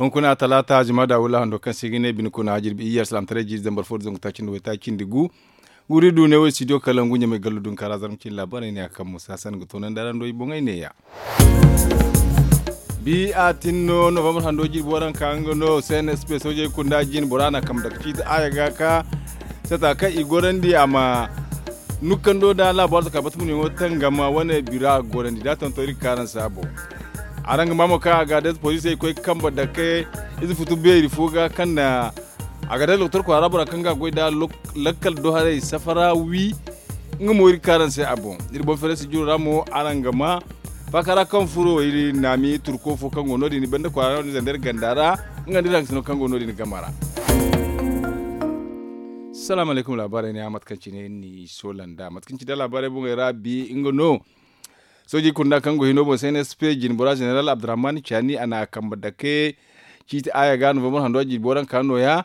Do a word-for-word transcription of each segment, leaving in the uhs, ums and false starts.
Hunkuna talaata juma da wula hando kaŋ se ga ne bine kuna jirbi iyye alsilaamataray jiiri zambar fo da zangu taaci nda waytaaci nda gu. Wuri du ne wo studio kalangu ɲamay gallo dunkaara zarma cine laabaarey ne a kaŋ musa sanda ga toonandi araŋ do i boŋey neeya. Bi a tin no novambar hando jirbi waranka nga no cnsp soojey kunda jine bora na kambe dake ciiti aya ga ka sata kaŋ i gorandi a ma nukkando nda laabo arzaka bata munayaŋo tangama wane bira gorandi da tonto iri ga kaaranse a boŋ. Araŋ ga ma mo kaŋ a ga da poliisey koy kambe dake ize futu beeri fo ga kaŋ na a ga day doktor kwaara bora kaŋ ga a goy nda lakkal do haray safara wi. Nga mo iri ga kaaranse a boŋ iri boŋ feerasi jiro ra mo araŋ ga ma faaka ra kaŋ furo iri naami turko fo kaŋ go no- din banda kwaara no- din zandar ganda ra. Nga nda iri haŋ ga sino kaŋ go no- din gama ra. Salaamu alaykum laabaarey ne a mate kaŋ cine ni soolanda mate kaŋ cine laabaarey boŋey ra bi nga no. Soojey kunda kaŋ go hino boŋ se ne sp jinbora zeneral abdurrahman caani a na a kambe dake ciiti aya ga novambar hando a jirbi waranka nooya.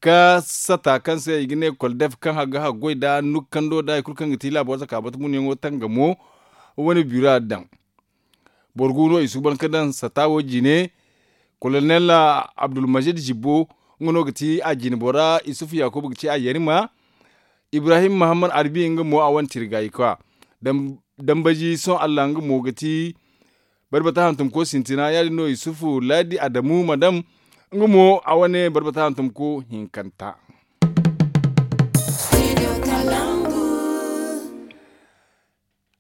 Ka sata kaŋ se i ga ne koldef kaŋ ga haggoy nda nukkando nda hari kulu kaŋ ga ti laabo zaka bata munyaŋo tangamo. Wane bira daŋ boro gu no i suuban ka daŋ sata wo jine. Kolonel abdulmajid jibbo nga no ga ti a jinbora isufu yakuba ga ci a yarima. Ibrahim muhammad arbi nga mo a wane tirga i kwa. Dambaji sohõ allah nga mo ga ti barbata hantumko sintina ya- din no isufu laadi adamu madam. Nga mo a wane barbata hantumko hinkanta.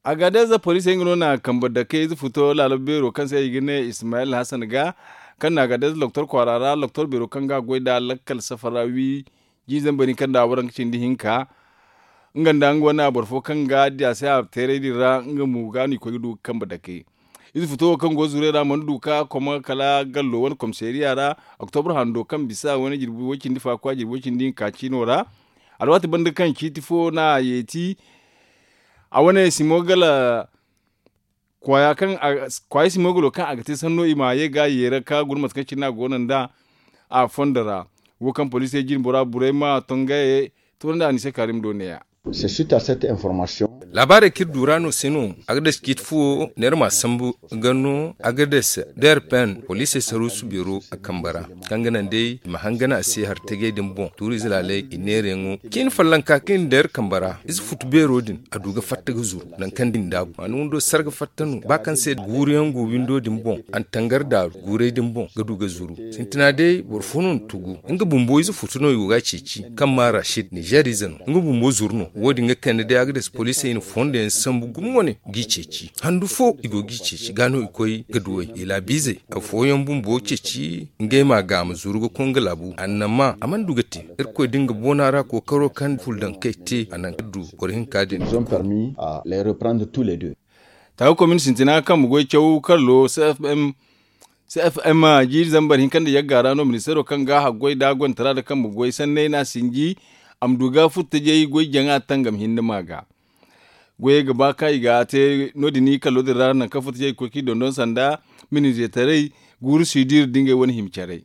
Agadez poliisey nga no na kambe dake ize futo laalo beero kaŋ se i ga ne ismayil hasan ga kaŋ na agadez loktor kwaara ra loktor beero kaŋ ga a goy nda lakkal safara wi. Jiizey bari kaŋ nda a waranka cindi hinka nga nda nga wane boro fo kaŋ ga di a se a teeray din ra nga mo ga no i koy ga du ga kambe dake. Ize futo wo kaŋ go zuray ra mana du ka koma kala gallo wane komisariya ra. Oktobra hando kaŋ bisa wane jirbi way cindi fa kwa jirbi way cindi hinka ciino ra. Alwaati banda kaŋ ciiti fo no a yeeti a wane simo gala kwaaya kaŋ kwaaya simo galo kaŋ a ga te sanno i ma ye ga yeera ka guna mate kaŋ cine no a go no nda a fondo ra. Wo kaŋ poliisey jine bora burey ma tongaye. Toonandi a ni se kaarim do neeya. Laabaarey kaŋ iri du ra no se no. Agades ciiti fuwo neera ma sambu ga no agades da iri pen poliisey saruusu beero a kambe ra kaŋ ga naŋ day i ma hangana a se hari tajey din boŋ tuuriize laaley i neerayaŋo ciini fallanka kaŋ iri nda iri kambe ra ize futu beero din a du ga fatta ga zuru nangu kaŋ din daabu a na windo sarga fatta no ba kaŋ se guuru yaŋ go windo din boŋ a na tangar daaru guurey din boŋ ga du ga zuru. Sintina day boro fo no na tugu nga bumbo ize futu no i go ga a ceeci kaŋ maa rashid nizeer ize no nga bumbo zuru no wo- din ga kande day agades poliisey i na fondo yaŋ sambu gumo wane g'i ceeci handu fo i go g'i ceeci ga no i koy ga duw'ey i laabiizey afooyaŋ bumbo ceeci ngey ma a ga a ma zuru ga koy nga laabu annama a mana du ga te. Irkoy da nga boona ra kookaro kaŋ fuldankey te a naŋ kaŋ du boro hinka din. Taawa komin sintina kaŋ ma goy caw kallo cfm jiiri zambar hinka nda yagga ra no ministeero kaŋ ga haggoy nda goyantara nda kaŋ ma goy sanney no a sinji. A ma du ga furtajey goy jaŋa tangam hinne ma ga goyey ga ba kaŋ i ga te no- din i kallo din ra nangu kaŋ furtajey ga koy kaŋ i dondon sanda minizetaray guuru sidir da ngey wane hima caray.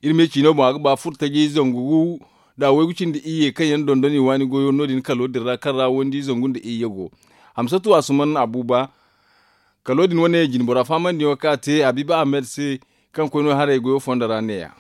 Iri me ciino boŋ a ga ba furtajey zangu gu nda waygu cindi iyye kaŋ yaŋ dondon i waani goyo no- din kalo din ra kaŋ ra wandi zangu nda iyye go. Hamsatu asuman abuba kalo din wane jinbora fahamandi yaŋo kaŋ a te habiiba ahmed se kaŋ koy no haray goyo fondo ra neeya.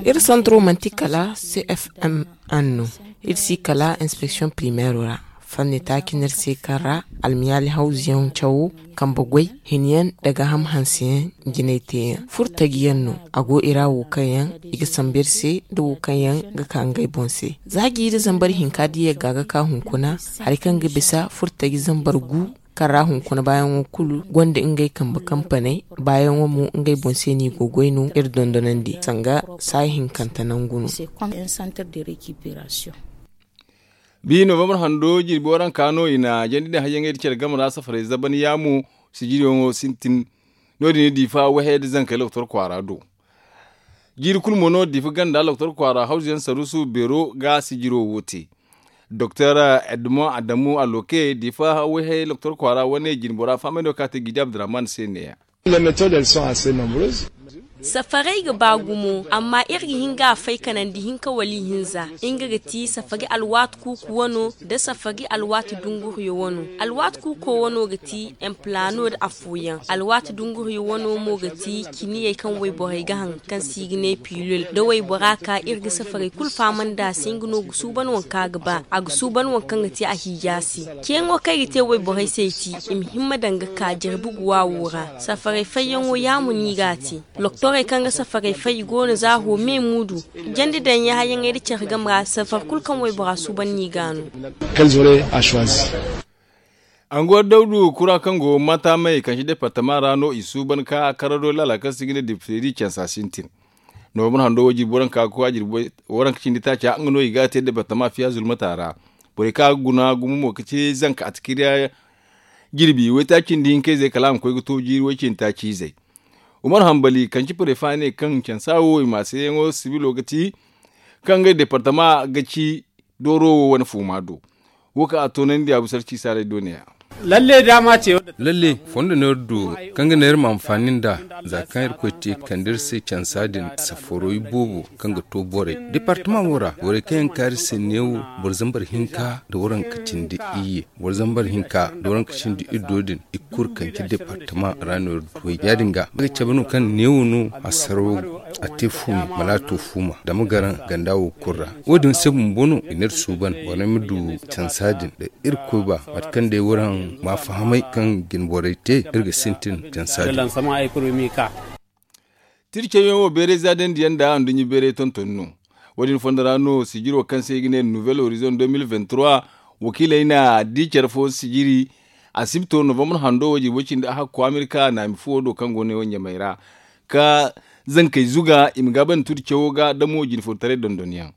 Iri santro manti kala cfm anno iri si kala inspeksiyoŋ primeero ra. Fanni taaci no iri se kaŋ ra almiyaali hawzuyaŋ cawo kambe goy hinyaŋ nda gaaham hanseyaŋ jinay teeyaŋ furtajiyaŋ no. A go i ra wo kaŋ yaŋ i ga sambu iri se nda wo kaŋ yaŋ ga ka ngey boŋ se. Za jiiri zambar hinka da yagga ga ka hunkuna hari kaŋ ga bisa furtaji zambar gu kaŋ ra hunkuna baayaŋo kulu gonda ngey kambe kampaney. Baayaŋo mo ngey boŋ se no i go goy no iri dondonandi sanga saayi hinkante nangu no. Bi novambar hando jirbi waranka no i na jandi din hayyaŋey da care game ra safaray zaban yaamo sijiriyaŋo sintin. No- din i diifa wahey da zankey loktor kwaara do. Jiiri kulu mo no diifa ganda loktor kwaara hawzuyaŋ saruusu beero ga sijiro wo te. Doktor edmond adamu aloke diifa wahey loktor kwaara wane jinbora fahamay no kaŋ a te gidi abdurrahman se neeya. Safarey ga ba gumo, amma iri ga hin ga a fay kanandi hinka wala ihinza. Nga ga ti safari alwaati kuuku wano nda safari alwaati dunguriyo wano. Alwaati kuuko wano ga ti emplano nda afooyaŋ. Alwaati dunguriyo wano mo ga ti ciniyey kaŋ wayborey ga haŋ, kaŋ se i ga ne pilul. Da waybora ka, iri ga safarey kulu fahamandi a se, nga no ga suuban waŋ kaŋ a ga ba. A ga suuban waŋ kaŋ ga te a hiija se. Ceeyaŋo kaŋ i ga te wayborey se i ti, i ma himma daŋ ga ka jirbi guwa wo ra. Safarey fayyaŋo yaamo no i ga a te. Loktorey kaŋ ga safarey fay i go no za ho me muudu. Jandi daŋ yaayaŋey nda care game ra safar kulu kaŋ waybora suuban no i ga a no. Anguwar dawdu kura kaŋ go mata may kaŋ si departama ra no i suuban ka karado laala kaŋ se i ga ne dipteri cansa sintin. Novambar hando wo jirbi waranka koy a jirbi waranka cindi taaca nga no i ga te departama fiya zulmata ra. Borey kaŋ a ga guna gumo mo ga ci zanka atikiriya jirbi waytaaci nda hinka izey kala a ma koy ga to jiiri way cindi taaci izey. Umar hambali kaŋ ci prefa ne kaŋ cansa wo i ma seyaŋo sibilo ga ti kaŋ ngey departama ga ci dooro wo wane fuuma do. Wo kaŋ a toonandi a bu sarci saalay do ne-ya. Lalle, fondo no iri du kaŋ ga ne iri ma anfaani nd'a. Za kaŋ irkoy te kande iri se cansa din safaro iboobo kaŋ ga to borey departama wo ra, borey kaŋ yaŋ kaari se neewo boro zambar hinka nda waranka cindi iyye. Boro zambar hinka nda waranka cindi iddo din i kulu kaŋ ci departama ra no iri du way ya- din ga a ga cabe no kaŋ neewo no a sarawo a te fuumi mala a to fuuma dama garaŋ ganda wo kulu ra. Wo- din se bumbo no i ne iri suuban borey ma du cansa din da irkoy ba mate kaŋ day waraŋ ma fahamay kaŋ jinborey te iri ga sintin cansa din. Tircawyaŋ wo beeray za dandiyaŋ nda anduɲɲa beeray tonton no. Wo- din fondo ra no sijiro kaŋ se i ga ne nouvel horizon deux mille vingt-trois wakiiley na di care fo sijiri asibto novambar hando wo jirbo cindi a hakko amerika naami fuwo do kaŋ go ne wo ɲamay ra ka zankey zuga i ma gaabandi turi cawo ga damo jinfotaray dondonyaŋ.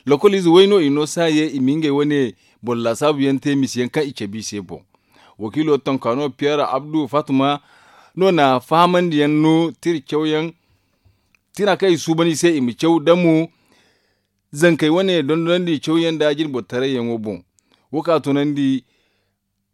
Lokol ize way no i no saaye i ma ngey wane boro laasaabu yaŋ te misi yaŋ kaŋ i cabe i se boŋ. Wakiilo tonkaano piyer abdu fatuma no na fahamandi yaŋ no tira cawyaŋ tira kaŋ i suuban i se i ma caw damo zankey wane dondonandi cawyaŋ nda jinbotaray yaŋo boŋ. Wo ka toonandi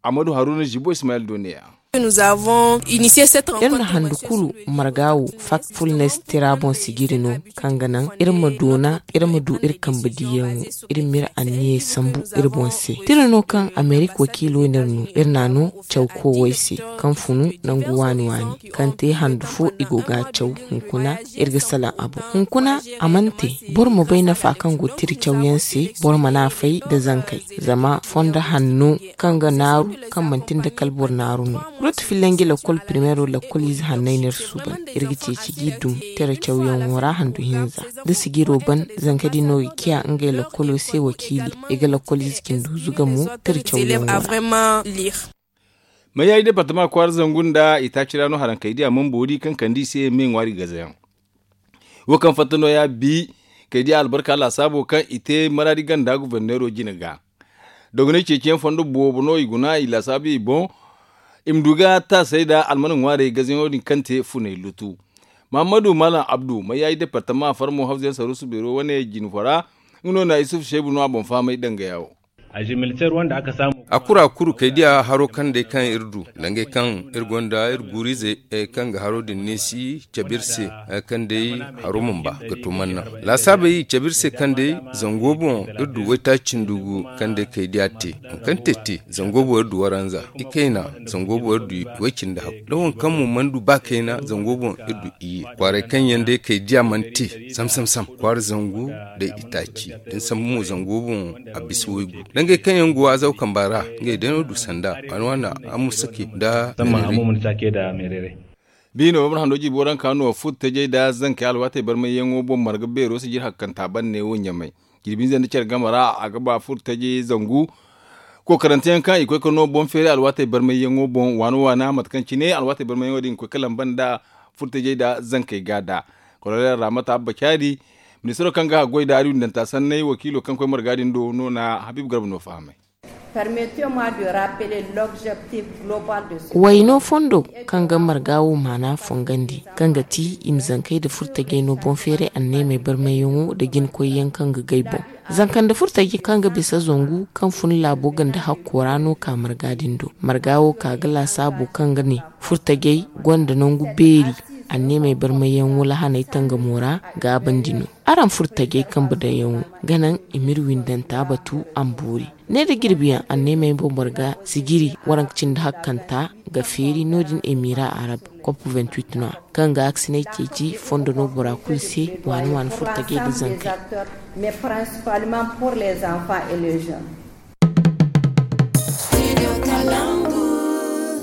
amadu haruna zibo ismayel do ne-ya. Iri na handu kulu marga wo fak fulnes tira boŋ sijiri no kaŋ ga naŋ iri ma doona iri ma du iri kambe diyaŋo. Iri ma iri anniyey sambu iri boŋ se tira no kaŋ amerik wakiilo no iri no iri n'a no caw koowey se kaŋ funu nangu waani waani kaŋ te handu fo i go ga a caw hunkuna iri ga salaŋ a boŋ hunkuna a mana te. Boro ma bay nafa kaŋ go tira cawyaŋ se boro mana a fay nda zankey zama fondo hanno kaŋ ga naaru kaŋ manti nda kala boro naaru no. Rotu fillanji lakkol primeero lakkol ize hanney no iri suuban iri ga ceeci g'i dum tira cawyaŋo ra handu hinza da sijiro ban zanka din no ga ciya ngey lakkolo se wakiili i ga lakkol ize cindi huzu ga mo tira cawyaŋo ra. Mayayi departama kwaara zangu nda itaaci ra no harankey diya mana boori kaŋ kande i se me ŋwaari gazayaŋ. Wo kaŋ fatta no ya bi kay diya albarka laasaabo kaŋ i te maraadi ganda guverneero jine ga. Dogonay ceeciyaŋ fondo boobo no i guna i laasaabu i boŋ. I ma du ga taasay nda almana ŋwaarey gazayaŋo din kaŋ te funay lutu. Mahammadu malam abdu mayayi departama farmo hawzayaŋ saruusu beero wane jine fo ra. Nga no na isufu seebu no a boŋ fahamay dangaya wo. A kuru a kuru kay diya haro kaŋ day kaŋ iri du dangay kaŋ iri gonda iri guuriizey kaŋ ga haro din neesi cabe iri se. Kaŋ day haro mana ba ga to manna laasaabey cabe iri se kaŋ day zango boŋ iri du waytaaci ndugu kaŋ day kay diya te. Kaŋ te te zango boŋ iri du waranza i kayna zango boŋ iri du way cindi hakku da waŋ kaŋ mo mana du ba kayna zango boŋ iri du iyye kwaaray kaŋ yaŋ day kay diya mana te. Sam sam sam kwaara zangu day itaaci da ni sambu mo zango boŋ a bisa waygu dangay kaŋ yaŋ go azaw kamba ra. Ngey day no du sanda waani waani a musake nda meerey. Biino boro hando jibo ranka no furtajey da zankey alwaatey barmayyaŋo boŋ marga beero sijir hakkanta banne wo ɲamay. Jirbi hinza nda care game ra a ga ba furtajey zangu kookaranteyaŋ kaŋ i koy ka no boŋ feeray alwaatey barmayyaŋo boŋ waana waana mate kaŋ cine alwaatey barmayyaŋo din ga koy ka lamba nda furtajey da zankey ga da. Kolonel ramata abba caadi ministiro kaŋ ga haggoy da ariwindanta sanney wakiilo kaŋ koy marga din do no na habib garba no fahamay. Wayno fondo kaŋ ga marga wo maana fongandi kaŋ ga ti i ma zankey nda furtajey no boŋ feeray anneemey barmayyaŋo nda jinkoyyaŋ kaŋ ga gay boŋ. Zanka nda furtajey kaŋ ga bisa zangu kaŋ fun laabo ganda hakko ra no ka marga din do marga wo ka ga laasaabo kaŋ ga ne furtajey gonda nangu beeri. Anneemey barmayyaŋo lahaney tangamo ra gaabandi no. Araŋ furo tajey kambe daŋyaŋo ga naŋ i m'iri windanta batu a ma boori. Ne da jirbiyaŋ anneemey boŋ boro ga sijiri waranka cindi hakkanta ga feeri no- din emira arab kop no- ya kaŋ ga aksiney ceeci fondo no bora kulu se. Waani waani furo tajey da zankey.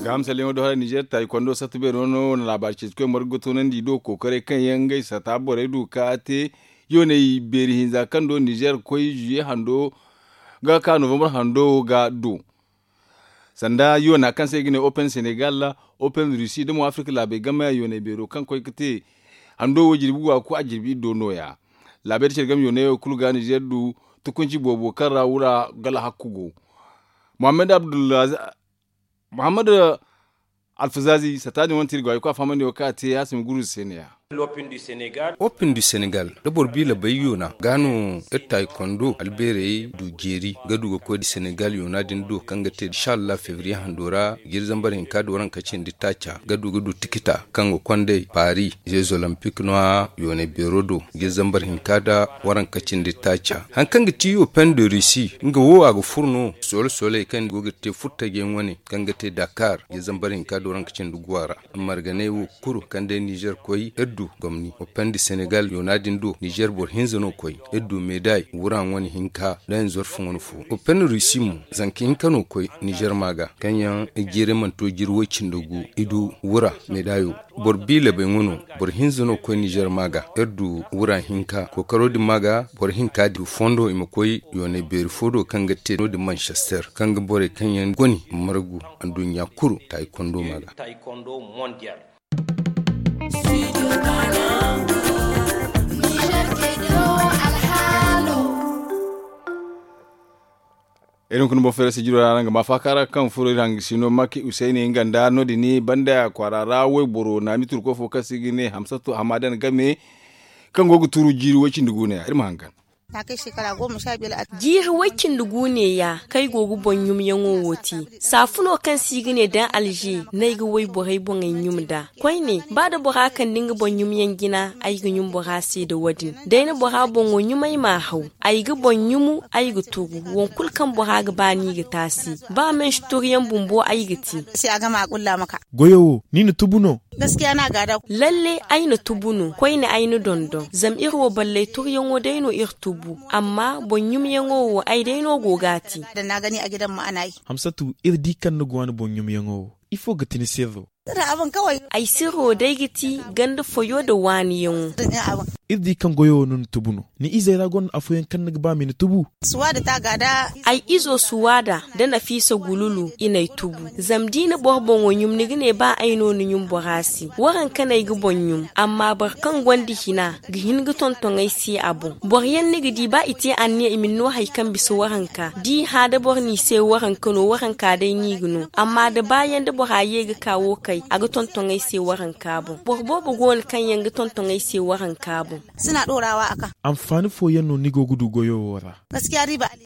Ga hamsalyaŋo do hala nizer tayi kondo satta beero no wane laabaari ceeci koy margu ga toonandi i do kookaray kaŋ yaŋ ngey sata borey du ka te yooney beeri hinza kaŋ do nizer koy zuye hando ga ka novambar hando ga do. Sanda yoona kaŋ se i ga ne open senegal, open rusi da mo afirka laabey game yooney beero kaŋ koy ga te hando wo jirbi waaku a jirbi iddo nooya. Laabey da care game yooney wo kulu ga nizer du tukunci boobo kaŋ ra wura gala hakku go. Muhammad abdullahi muhammad alfazazi sata din wane te iri go hari kulu a fahamandi wo kaŋ a te a si ma guru se ne ya. Opin du senegal da boro bi labay yoona ga no iri tayi kondo albeerey du jeeri ga du ga koy da senegal yoona din do kaŋ ga te inshallah fevriye hando ra ga iri zambar hinka da waranka cindi taaca ga du ga du tikita kaŋ ga kondey paris jeux olympique no- ya yooney beero do ga iri zambar hinka da waranka cindi taaca. Hari kaŋ ga ti opin de rusi nga wo a ga furo no solo soley kaŋ go ga te furo taji yaŋ wane kaŋ ga te dakar ga iri zambar hinka da waranka cindi guwa ra. Marganey wo kulu kaŋ day nizer koy iri du gomni opin de senegal yoona din do nizer boro hinza no koy iri du meday wura ŋwane hinka da nzorfu ŋwane fo. Opin rusi mo zanka hinka no koy nizer ma ga kaŋ yaŋ jeeray mana to jiri way cindi gu i du wura medayo. Boro bi labay ŋwa no boro hinza no koy nizer ma ga iri du wura hinka kookaro din ma ga boro hinka din fondo i ma koy yoonay beeri fo do kaŋ ga te no- din manchester kaŋ ga borey kaŋ yaŋ goni margu anduɲɲa kulu tayi kondo ma ga. Iri hunkuna boŋ feera sijiro ra araŋ ga ma faaka ra kaŋ furo iri hangasino makki usayni nga nda no- din banda kwaara ra wayboro naami turko fo kaŋ se i ga ne hamsatu hamadan game kaŋ go ga turu jiiri way cindi guuna ya iri ma hangan. Jiiri way cindi guune ya kaŋ ay go ga boŋ ɲumyaŋo wo te. Saafuno kaŋ se i ga ne daŋ alze no ay ga wayborey boŋey ɲum nd'a. Koyne ba da bora kande nga boŋ ɲumyaŋ jina ay ga ɲum bora se nda wo- din. Day na bora boŋo ɲum ay m'a haw. Ay ga boŋ ɲumu ay ga turu. Wankulu kaŋ bora ga ba no i ga te a se. Ba mansi turuyaŋ bumbo ay ga te. Goyo wo ni na tubu no? Lalle ay na tubu no koyne ay na dondon zama iri wo balley turuyaŋo day no iri tubu. Amma boŋ ɲumyaŋo wo ay day no go ga a te. Hamsatu, iri di kaŋ ni go a ni boŋ ɲumyaŋo wo, ifo ga ti ni sirro? Ay sirro day ga ti ganda foyo nda waaniyaŋo. Iri di kaŋ goyo wo no ni tubu no. Ni izey ra gonda afooyaŋ kaŋ ni ga ba ma i na tubu? Ay izo suwaada nda nafiisa gululu i n'ay tubu. Zama da i na boro boŋo ɲum ni ga ne ba ay no ni ɲum bora se. Waranka no ay ga boŋ ɲum. Amma boro kaŋ gonda hina ga hin ga tonton ay se a boŋ. Boroyaŋ ni ga di ba i te anniya i ma ni no hari kaŋ bisa waranka da i hã da boro no i se waranka no waranka day no i ga no. Amma da baayaŋ da bora ye ga ka wo kay a ga tonton ay se waranka boŋ. Boro boobo go no kaŋ yaŋ ga tonton ay se waranka boŋ. Anfaani fooyaŋ no ni go ga du goyo wo ra?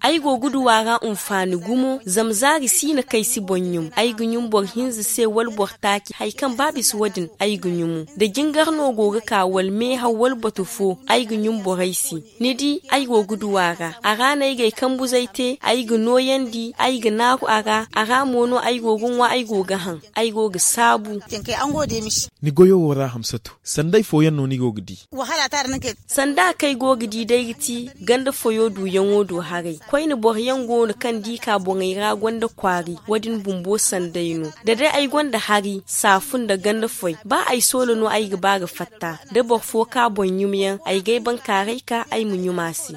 Ay go ga du a ra anfaani gumo zama zaari si no kaŋ ay si boŋ ɲum. Ay ga ɲum boro hinza se wala boro taaci hari kaŋ ba bisa wo- din ay ga ɲumu. Da jingar no go ga ka wala meehaw wala batu fo ay ga ɲum borey se. Ni di ay go ga du a ra a ra no ay ga ay kambuzey te ay ga nooyandi ay ga naaru a ra a ra mo no ay go ga ŋwa ay go ga haŋ. Ay go ga saabu. Ni goyo wo ra hamsatu, sanday fooyaŋ no ni go ga di? Sanda kaŋ ay go ga di day ga ti ganda foyo duyaŋo do haray. Koyne boroyaŋ go no kaŋ da i ka boŋey ra gonda kwaari wo- din bumbo sanday no. Da day ay gonda hari saafu nda ganda foy ba ay soola no ay ga ba ga fatta da boro fo ka boŋ ɲumyaŋ ay ga ay bankaaray ka ay ma ɲum a se.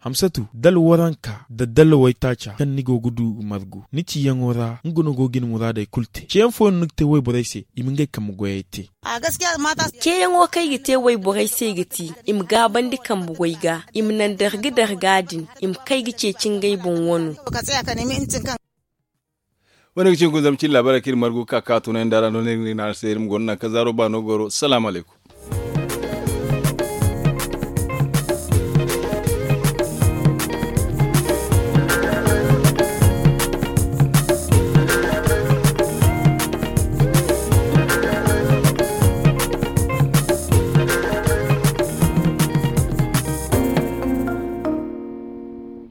Hamsatu, dala waranka nda dala waytaaca kaŋ ni go ga du ga margu ni ciyaŋo ra nga no go ga ni muraadey kulu te. Ceyaŋ fooyaŋ no ni ga te wayborey se i ma ngey kambe goyey te? Ceeyaŋo kaŋ ay ga te wayborey se ga ti i ma gaabandi kambe goy ga i ma naŋ darga darga din i ma kay ga ceeci ngey boŋ wano. Wo- ne ga cin kun zama cin laabaarey kaŋ iri margu ga ka ka tunay nda ra no ne iri na araŋ se iri ma gonda nangu kaŋ zaaro ba no goro salaamu alaykum.